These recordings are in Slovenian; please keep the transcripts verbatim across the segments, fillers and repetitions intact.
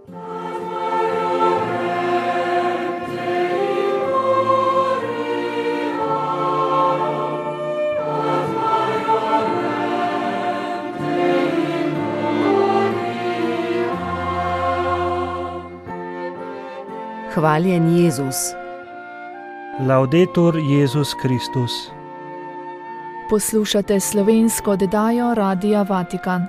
Hvaljen Jezus. Laudetur Jezus Kristus. Poslušate slovensko oddajo Radia Vatikan.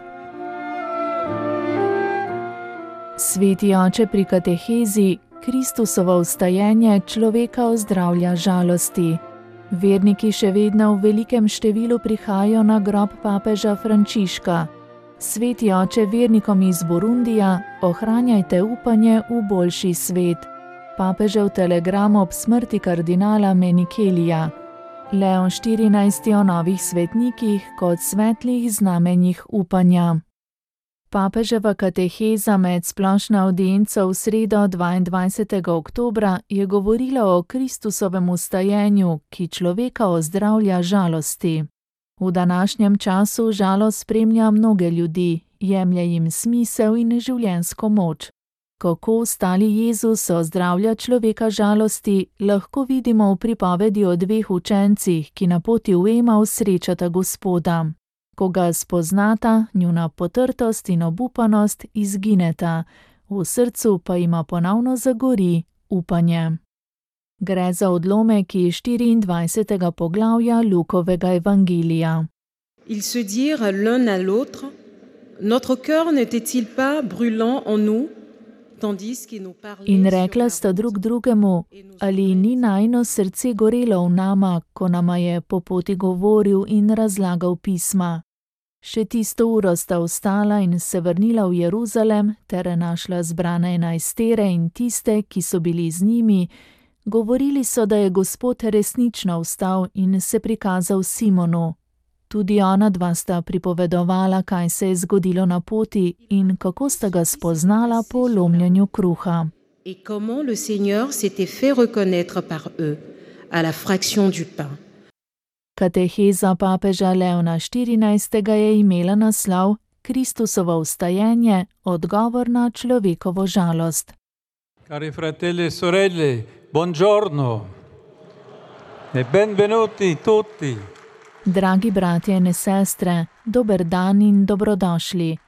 Sveti oče pri katehezi Kristusovo vstajenje človeka ozdravlja žalosti. Verniki še vedno v velikem številu prihajajo na grob papeža Frančiška. Sveti oče vernikom iz Burundija, ohranjajte upanje v boljši svet. Papežev telegram ob smrti kardinala Menikelija. Leon štirinajsti o novih svetnikih kot svetlih znamenjih upanja. Papeževa kateheza med splošno avdienco v sredo dvaindvajsetega oktobra je govorila o Kristusovem vstajenju, ki človeka ozdravlja žalosti. V današnjem času žalost spremlja mnoge ljudi, jemlje jim smisel in življenjsko moč. Kako ostali Jezus ozdravlja človeka žalosti, lahko vidimo v pripovedi o dveh učencih, ki na poti v Emaus srečata Gospoda. Ko ga spoznata, njuna potrtost in obupanost izgineta, v srcu pa ima ponovno zagori upanje. Gre za odlomek iz štiriindvajsetega poglavja Lukovega evangelija. Ils se dirent l'un à l'autre, notre cœur n'était-il pas brûlant en nous? In rekla sta drug drugemu, ali ni najino srce gorelo v nama, ko nama je po poti govoril in razlagal pisma. Še tisto uro sta vstala in se vrnila v Jeruzalem, ter našla zbrane enajstere in tiste, ki so bili z njimi. Govorili so, da je Gospod resnično vstal in se prikazal Simonu. Tudi ona dva sta pripovedovala, kaj se je zgodilo na poti in kako sta ga spoznala po lomljenju kruha. Et comment le Seigneur s'était fait reconnaître par eux à la fraction du pain. Kateheza papeža Leona štirinajstega je imela naslov Kristusovo vstajenje, odgovor na človekovo žalost. Cari fratelli e sorelle, buongiorno e benvenuti tutti. Dragi bratje in sestre, dober dan in dobrodošli.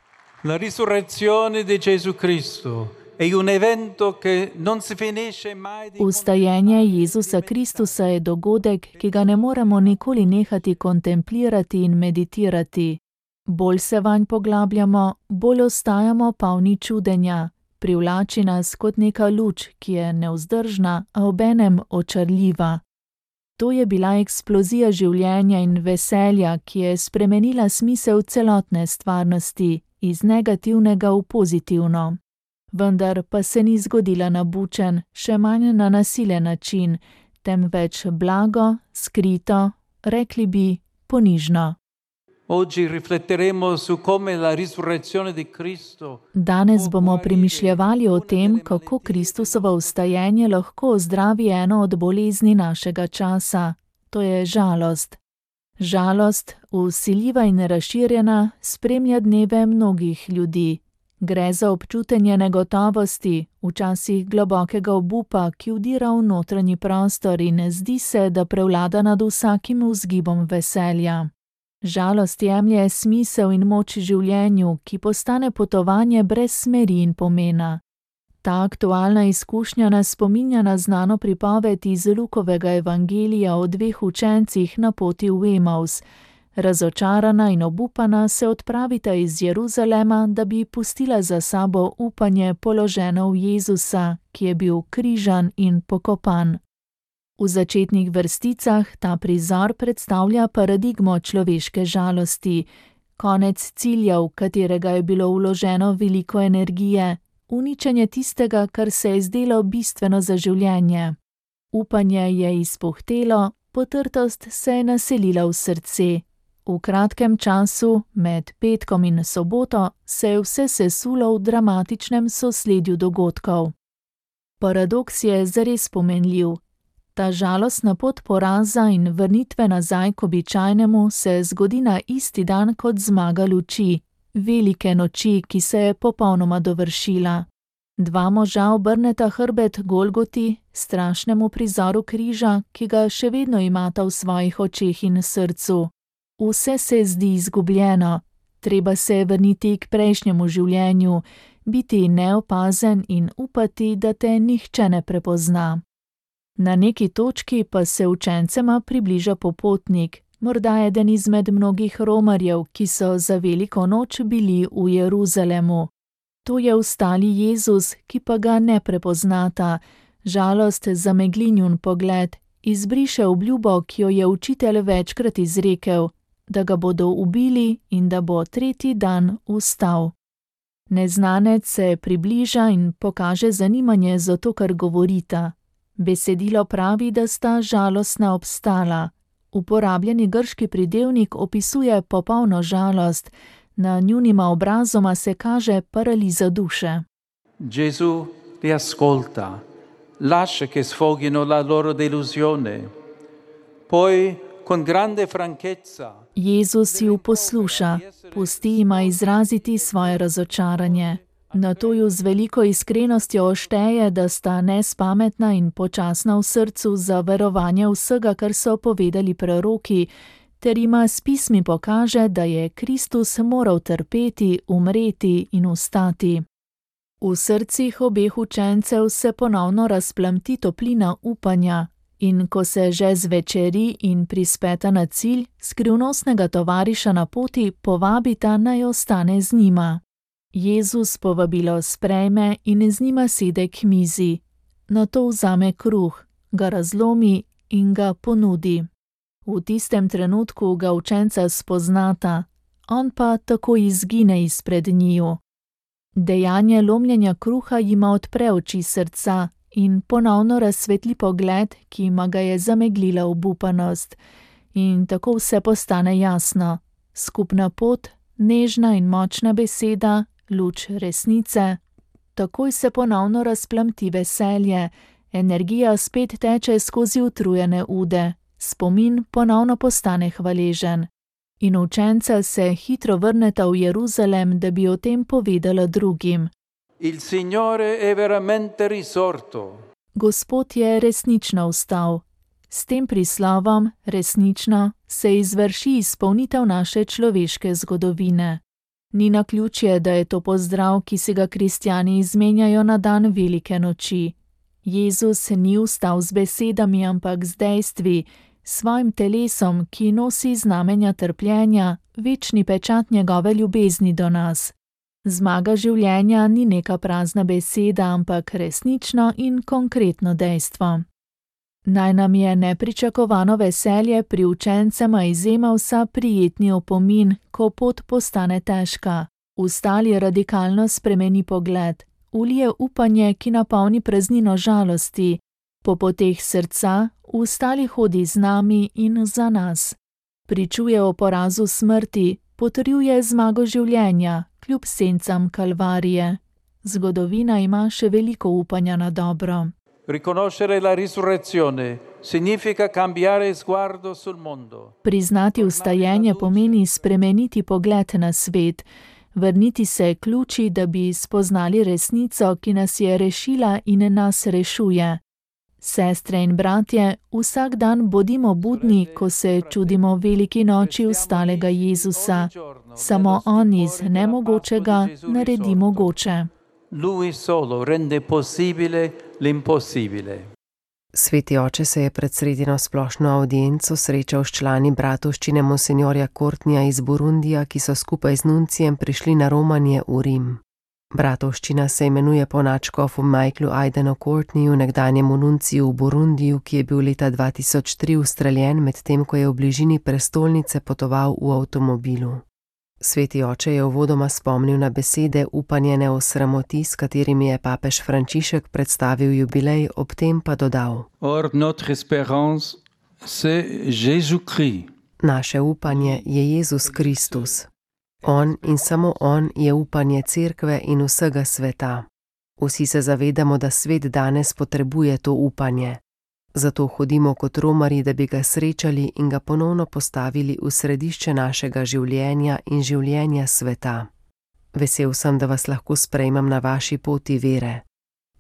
La risurrezione di Gesù Cristo è un evento che non si finisce mai di... Vstajenje Jezusa Kristusa je dogodek, ki ga ne moremo nikoli nehati kontemplirati in meditirati. Bolj se vanj poglabljamo, bolj ostajamo polni čudenja. Privlači nas kot neka luč, ki je nevzdržna, a obenem očarljiva. To je bila eksplozija življenja in veselja, ki je spremenila smisel celotne stvarnosti, iz negativnega v pozitivno. Vendar pa se ni zgodila na bučen, še manj na nasilen način, temveč blago, skrito, rekli bi ponižno. Oggi rifletteremo su come la risurrezione di Cristo. Danes bomo premišljevali o tem, kako Kristusovo vstajenje lahko ozdravi eno od bolezni našega časa. To je žalost. Žalost, vsiljiva in razširjena, spremlja dneve mnogih ljudi. Gre za občutenje negotovosti, včasih globokega obupa, ki vdira v notranji prostor in zdi se, da prevlada nad vsakim vzgibom veselja. Žalost jemlje smisel in moč življenju, ki postane potovanje brez smeri in pomena. Ta aktualna izkušnja nas spominja na znano pripoved iz Lukovega evangelija o dveh učencih na poti v Emaus. Razočarana in obupana se odpravita iz Jeruzalema, da bi pustila za sabo upanje položeno v Jezusa, ki je bil križan in pokopan. V začetnih vrsticah ta prizor predstavlja paradigmo človeške žalosti, konec cilja, v katerega je bilo vloženo veliko energije, uničenje tistega, kar se je zdelo bistveno za življenje. Upanje je izpuhtelo, potrtost se je naselila v srce. V kratkem času, med petkom in soboto, se je vse sesulo v dramatičnem sosledju dogodkov. Paradoks je zares pomenljiv. Ta žalostna pot poraza in vrnitve nazaj k običajnemu se zgodi na isti dan kot zmaga luči, velike noči, ki se je popolnoma dovršila. Dva moža obrneta hrbet Golgoti, strašnemu prizoru križa, ki ga še vedno imata v svojih očeh in srcu. Vse se zdi izgubljeno, treba se vrniti k prejšnjemu življenju, biti neopazen in upati, da te nihče ne prepozna. Na neki točki pa se učencema približa popotnik, morda eden izmed mnogih romarjev, ki so za veliko noč bili v Jeruzalemu. To je ustali Jezus, ki pa ga ne prepoznata. Žalost zamegli njun pogled, izbriše obljubo, ki jo je učitelj večkrat izrekel, da ga bodo ubili in da bo tretji dan vstal. Neznanec se približa in pokaže zanimanje za to, kar govorita. Besedilo pravi, da sta žalostna obstala. Uporabljeni grški pridevnik opisuje popolno žalost, na njunima obrazoma se kaže paraliza duše. Gesù li ascolta, lascia che sfoghino la loro delusione. Poi con grande franchezza Jezus ju posluša, pusti jima izraziti svoje razočaranje. Nato ju z veliko iskrenostjo ošteje, da sta nespametna in počasna v srcu za verovanje vsega, kar so povedali preroki, ter jima s pismi pokaže, da je Kristus moral trpeti, umreti in vstati. V srcih obeh učencev se ponovno razplamti toplina upanja, in ko se že zvečeri in prispeta na cilj, skrivnostnega tovariša na poti povabita, naj ostane z njima. Jezus povabilo sprejme in z njima sede k mizi. Nato vzame kruh, ga razlomi in ga ponudi. V tistem trenutku ga učenca spoznata, on pa takoj izgine izpred njiju. Dejanje lomljenja kruha jima odpre oči srca in ponovno razsvetli pogled, ki jima ga je zameglila obupanost. In tako vse postane jasno. Skupna pot, nežna in močna beseda, luč resnice. Takoj se ponovno razplamti veselje, energija spet teče skozi utrujene ude, spomin ponovno postane hvaležen. In učenca se hitro vrneta v Jeruzalem, da bi o tem povedala drugim. Il Signore è veramente risorto. Gospod je resnično vstal. S tem prislovom, resnično, se izvrši izpolnitev naše človeške zgodovine. Ni naključje, da je to pozdrav, ki si ga kristjani izmenjajo na dan velike noči. Jezus ni vstal z besedami, ampak z dejstvi, svojim telesom, ki nosi znamenja trpljenja, večni pečat njegove ljubezni do nas. Zmaga življenja ni neka prazna beseda, ampak resnično in konkretno dejstvo. Naj nam je nepričakovano veselje pri učencema izjema vsa prijetni opomin, ko pot postane težka. Ustali radikalno spremeni pogled, ulije upanje, ki napolni praznino žalosti. Po poteh srca ustali hodi z nami in za nas. Pričuje o porazu smrti, potrjuje zmago življenja, kljub sencam kalvarije. Zgodovina ima še veliko upanja na dobro. Riconoscere la risurrezione significa cambiare sguardo sul mondo. Priznati vstajenje pomeni spremeniti pogled na svet, vrniti se ključi, da bi spoznali resnico, ki nas je rešila in nas rešuje. Sestre in bratje, vsak dan bodimo budni, ko se čudimo veliki noči vstalega Jezusa. Samo on iz nemogočega naredi mogoče. Lui solo rende possibile l'impossibile. Sveti oče se je pred sredino splošno audienco srečal s člani bratovščine monsinjorja Courtneya iz Burundija, ki so skupaj z nuncijem prišli na romanje v Rim. Bratovščina se imenuje po nadškofu Michaelu Aidenu Courtneyju, nekdanjemu nunciju v Burundiju, ki je bil leta dva tisoč tri ustreljen, medtem ko je v bližini prestolnice potoval v avtomobilu. Sveti oče je uvodoma spomnil na besede upanje ne osramoti, s katerimi je papež Frančišek predstavil jubilej, ob tem pa dodal: Or notre espérance, c'est Jésus-Christ. Naše upanje je Jezus Kristus. On in samo on je upanje cerkve in vsega sveta. Vsi se zavedamo, da svet danes potrebuje to upanje. Zato hodimo kot romarji, da bi ga srečali in ga ponovno postavili v središče našega življenja in življenja sveta. Vesel sem, da vas lahko sprejmem na vaši poti vere.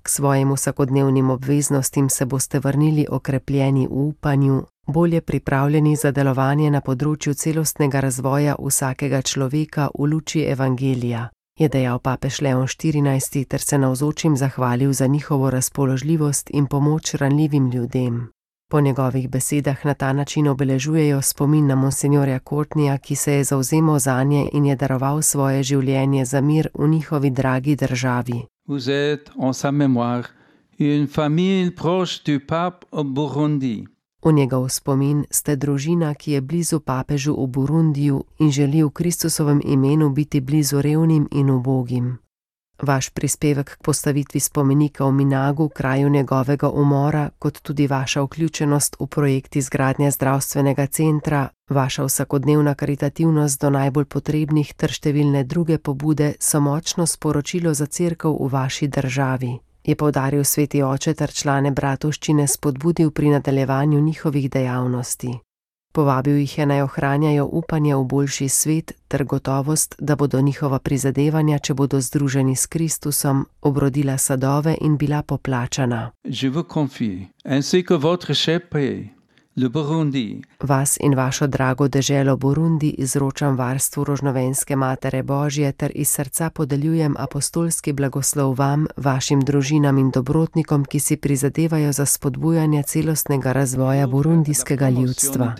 K svojim vsakodnevnim obveznostim se boste vrnili okrepljeni v upanju, bolje pripravljeni za delovanje na področju celostnega razvoja vsakega človeka v luči evangelija, je dejal papež Leon štirinajsti ter se navzočim zahvalil za njihovo razpoložljivost in pomoč ranljivim ljudem. Po njegovih besedah na ta način obeležujejo spomin na monsinjorja Courtneya, ki se je zavzemal zanje in je daroval svoje življenje za mir v njihovi dragi državi. Vous êtes en sa mémoire une famille proche du pape au Burundi. V njegov spomin ste družina, ki je blizu papežu v Burundiju in želi v Kristusovem imenu biti blizu revnim in ubogim. Vaš prispevek k postavitvi spomenika v Minagu, kraju njegovega umora, kot tudi vaša vključenost v projekt izgradnje zdravstvenega centra, vaša vsakodnevna karitativnost do najbolj potrebnih ter številne druge pobude so močno sporočilo za cerkev v vaši državi, je poudaril sveti oče ter člane bratovščine spodbudil pri nadaljevanju njihovih dejavnosti. Povabil jih je naj ohranjajo upanje v boljši svet ter gotovost, da bodo njihova prizadevanja, če bodo združeni s Kristusom, obrodila sadove in bila poplačana. Je vous confie, ainsi que votre cher pays, le Burundi. Vas in vašo drago deželo Burundi izročam varstvu rožnovenske Matere Božje ter iz srca podeljujem apostolski blagoslov vam, vašim družinam in dobrotnikom, ki si prizadevajo za spodbujanje celostnega razvoja burundijskega ljudstva.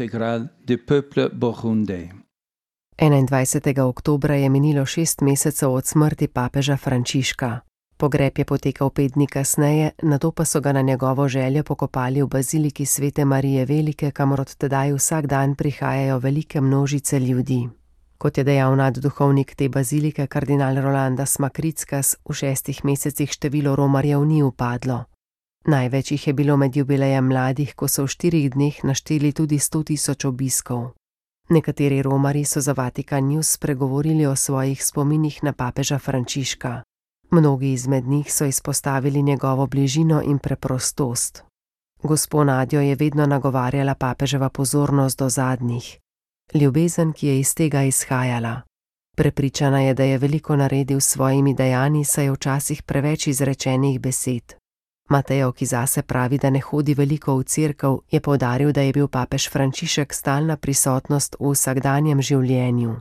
enaindvajsetega oktobra je minilo šest mesecev od smrti papeža Frančiška. Pogreb je potekal pet dni kasneje, nato pa so ga na njegovo željo pokopali v baziliki Svete Marije Velike, kamor od tedaj vsak dan prihajajo velike množice ljudi. Kot je dejal nadduhovnik te bazilike kardinal Rolandas Makrickas, v šestih mesecih število romarjev ni upadlo. Največ jih je bilo med jubilejem mladih, ko so v štirih dneh našteli tudi sto tisoč obiskov. Nekateri romarji so za Vatikan News spregovorili o svojih spominih na papeža Frančiška. Mnogi izmed njih so izpostavili njegovo bližino in preprostost. Gospo Nadjo je vedno nagovarjala papeževa pozornost do zadnjih. Ljubezen, ki je iz tega izhajala. Prepričana je, da je veliko naredil s svojimi dejanji, saj je včasih preveč izrečenih besed. Mateo, ki zase pravi, da ne hodi veliko v cerkev, je poudaril, da je bil papež Frančišek stalna prisotnost v vsakdanjem življenju.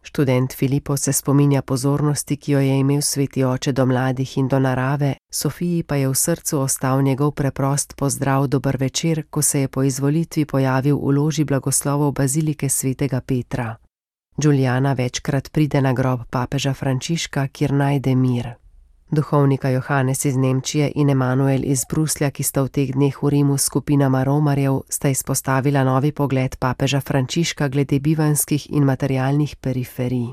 Študent Filipo se spominja pozornosti, ki jo je imel sveti oče do mladih in do narave, Sofiji pa je v srcu ostal njegov preprost pozdrav dober večer, ko se je po izvolitvi pojavil v loži blagoslovov bazilike svetega Petra. Giuliana večkrat pride na grob papeža Frančiška, kjer najde mir. Duhovnika Johannes iz Nemčije in Emanuel iz Bruslja, ki sta v teh dneh v Rimu s skupinama romarjev, sta izpostavila novi pogled papeža Frančiška glede bivanjskih in materialnih periferij.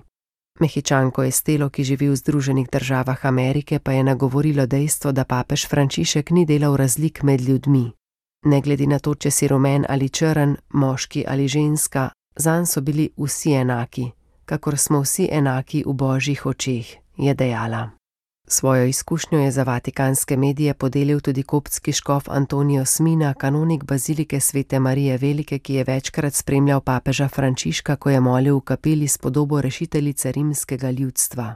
Mehičanko Estelo, ki živi v Združenih državah Amerike, pa je nagovorilo dejstvo, da papež Frančišek ni delal razlik med ljudmi. Ne glede na to, če si rumen ali črn, moški ali ženska, zanj so bili vsi enaki, kakor smo vsi enaki v božjih očeh, je dejala. Svojo izkušnjo je za vatikanske medije podelil tudi koptski škof Antonijo Smina, kanonik bazilike Svete Marije Velike, ki je večkrat spremljal papeža Frančiška, ko je molil v kapeli s podobo rešiteljice rimskega ljudstva.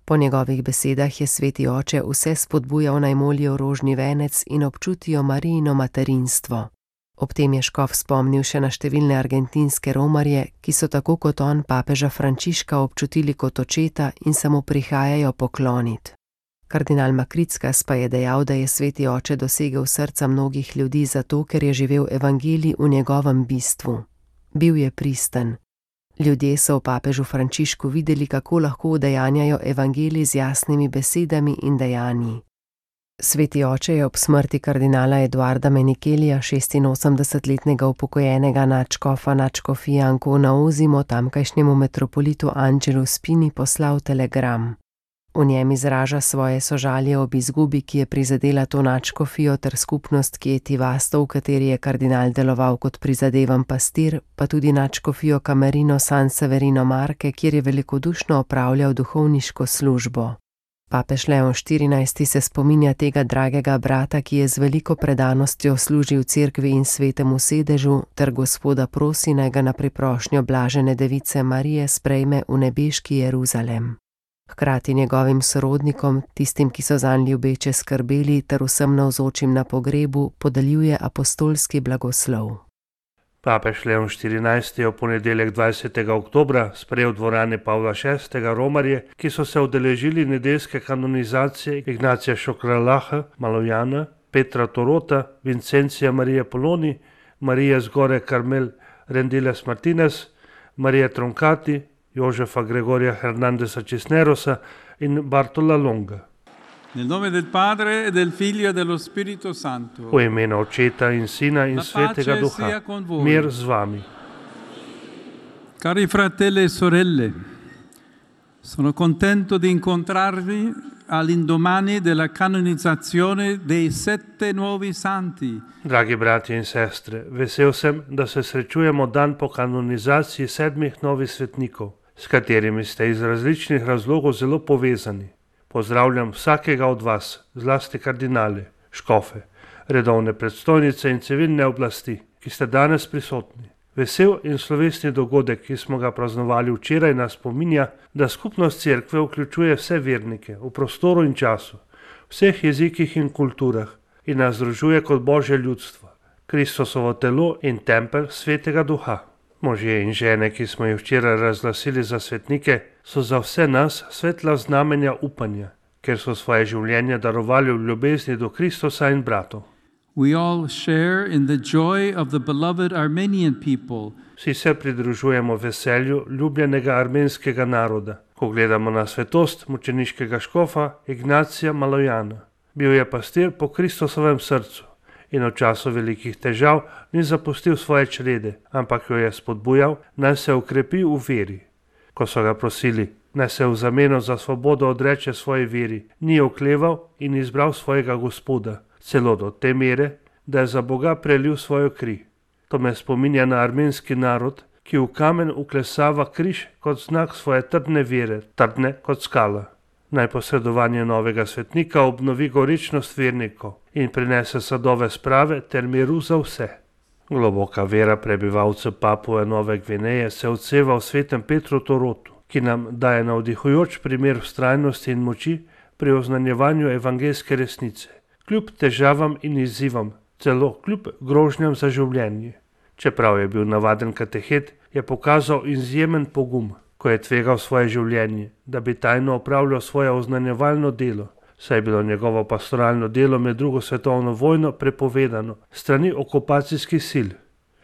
Po njegovih besedah je sveti oče vse spodbujal naj molijo rožni venec in občutijo Marijino materinstvo. Ob tem je škof spomnil še na številne argentinske romarje, ki so tako kot on papeža Frančiška občutili kot očeta in se mu prihajajo pokloniti. Kardinal Makrickas pa je dejal, da je sveti oče dosegel srca mnogih ljudi zato, ker je živel evangelij v njegovem bistvu. Bil je pristen. Ljudje so v papežu Frančišku videli, kako lahko udejanjajo evangelij z jasnimi besedami in dejanji. Sveti oče je ob smrti kardinala Eduarda Menikelija, šestinosemdesetletnega upokojenega nadškofa nadškofije Ancona Osimo, tamkajšnjemu metropolitu Angelu Spini poslal telegram. V njem izraža svoje sožalje ob izgubi, ki je prizadela to nadškofijo ter skupnost Chieti Vasto, v kateri je kardinal deloval kot prizadevan pastir, pa tudi nadškofijo Camerino San Severino Marke, kjer je velikodušno opravljal duhovniško službo. Papež Leon štirinajsti se spominja tega dragega brata, ki je z veliko predanostjo služil cerkvi in svetemu sedežu, ter Gospoda prosi, naj ga na priprošnjo blažene device Marije sprejme v nebeški Jeruzalem. Hkrati njegovim sorodnikom, tistim, ki so zanj ljubeče skrbeli, ter vsem navzočim na pogrebu podeljuje apostolski blagoslov. Papež Leon štirinajsti je v ponedeljek dvajsetega oktobra sprejel v dvorani Pavla šestega romarje, ki so se udeležili nedeljske kanonizacije Ignacija Šokralaha, Malojana, Petra Torota, Vincencija Marije Poloni, Marije Zgore Carmel Rendiles Martinez, Marije Troncati, Jožefa Gregorija Hernandeza Cisnerosa in Bartola Longa. Nel nome del Padre e del Figlio e dello Spirito Santo. V imenu Očeta in Sina in Svetega Duha. Mir z vami. Cari fratelli e sorelle, sono contento di incontrarvi all'indomani della canonizzazione dei sette nuovi santi. Dragi bratje in sestre, vesel sem, da se srečujemo dan po kanonizaciji sedmih novih svetnikov, s katerimi ste iz različnih razlogov zelo povezani. Pozdravljam vsakega od vas, zlasti kardinale, škofe, redovne predstojnice in civilne oblasti, ki ste danes prisotni. Vesel in slovesni dogodek, ki smo ga praznovali včeraj, nas spominja, da skupnost cerkve vključuje vse vernike v prostoru in času, vseh jezikih in kulturah in nas združuje kot Božje ljudstvo, Kristusovo telo in tempelj Svetega Duha. Možje in žene, ki smo jih včeraj razglasili za svetnike, so za vse nas svetla znamenja upanja, ker so svoje življenje darovali v ljubezni do Kristusa in bratov. We all share in the joy of the beloved Armenian people. Vsi se pridružujemo veselju ljubljenega armenskega naroda, ko gledamo na svetost mučeniškega škofa Ignacija Malojana. Bil je pastir po Kristusovem srcu in v času velikih težav ni zapustil svoje črede, ampak jo je spodbujal, naj se ukrepi v veri. Ko so ga prosili, naj se v zameno za svobodo odreče svoji veri, ni okleval in izbral svojega Gospoda, celo do te mere, da je za Boga prelil svojo kri. To me spominja na armenski narod, ki v kamen uklesava križ kot znak svoje trdne vere, trdne kot skala. Naj posredovanje novega svetnika obnovi goričnost vernikov in prinese sadove sprave ter miru za vse. Globoka vera prebivalcev Papue Nove Gvineje se odseva v svetem Petru Torotu, ki nam daje navdihujoč primer vztrajnosti in moči pri oznanjevanju evangeljske resnice, kljub težavam in izzivom, celo kljub grožnjam za življenje. Čeprav je bil navaden katehet, je pokazal izjemen pogum, ko je tvegal svoje življenje, da bi tajno opravljal svoje oznanjevalno delo, saj je bilo njegovo pastoralno delo med drugo svetovno vojno prepovedano strani okupacijskih sil.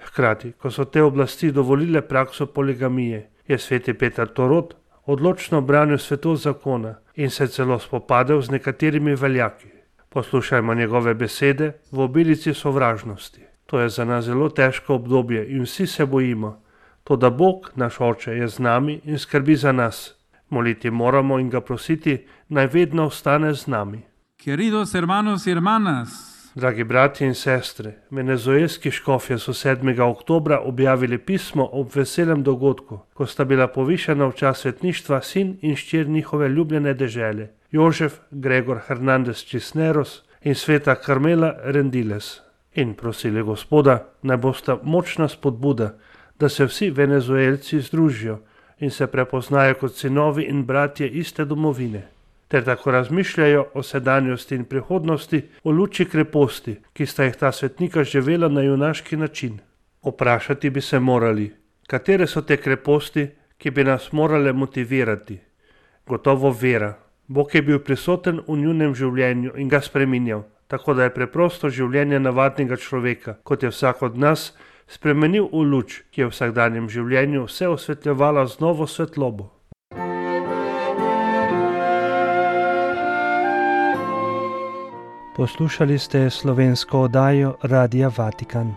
Hkrati, ko so te oblasti dovolile prakso poligamije, je sveti Peter Torot odločno branil svetost zakona in se celo spopadel z nekaterimi veljaki. Poslušajmo njegove besede v obilici sovražnosti. To je za nas zelo težko obdobje in vsi se bojimo. Toda Bog, naš Oče, je z nami in skrbi za nas. Moliti moramo in ga prositi, naj vedno ostane z nami. Queridos hermanos y hermanas, Dragi bratje in sestre, venezuelski škofje so sedmega oktobra objavili pismo ob veselem dogodku, ko sta bila povišana v čas svetništva sin in ščer njihove ljubljene dežele, Jožef Gregor Hernandez Cisneros in sveta Carmela Rendiles. In prosili Gospoda, naj bosta močna spodbuda, da se vsi venezuelci združijo in se prepoznajo kot sinovi in bratje iste domovine, ter tako razmišljajo o sedanjosti in prihodnosti v luči kreposti, ki sta jih ta svetnika živela na junaški način. Vprašati bi se morali, katere so te kreposti, ki bi nas morale motivirati. Gotovo vera. Bog je bil prisoten v njunem življenju in ga spreminjal, tako da je preprosto življenje navadnega človeka, kot je vsak od nas, spremenil v luč, ki je v vsakdanjem življenju vse osvetljevala z novo svetlobo. Poslušali ste slovensko oddajo Radia Vatikan.